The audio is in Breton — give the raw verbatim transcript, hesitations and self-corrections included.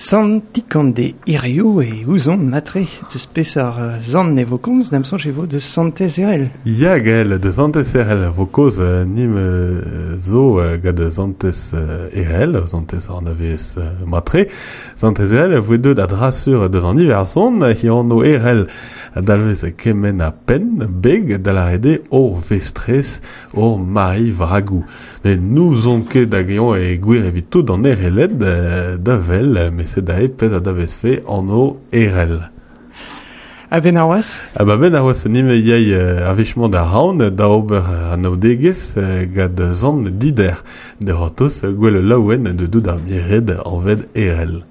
Sant Tikande hirio e ouzon matre deus peseurt zant ne vo komz d'am soñj e vo deus Santez Erel. Ya gael, deus Santez Erel vo koz nim zo gant Santez Erel, Santez an avez matre. Santez Erel a voe deut a drasur deus an Iverzon, hi anv Erel dalvez kement a penn, beg da lâret eo hor vestrez, hor Mari Vragou. Ne n'ouzon ket hag eñ e gwir evit tout an Ereled da vel, met sed aze pezh a davezfe anv Erel. A ben ar oaz? A ba ben ar oaz nim yay ar wech-mañ da raon da ober anaoudegezh gant Zant Dider. Da c'hortoz gwell laouen de dout ar mired anvet Erel.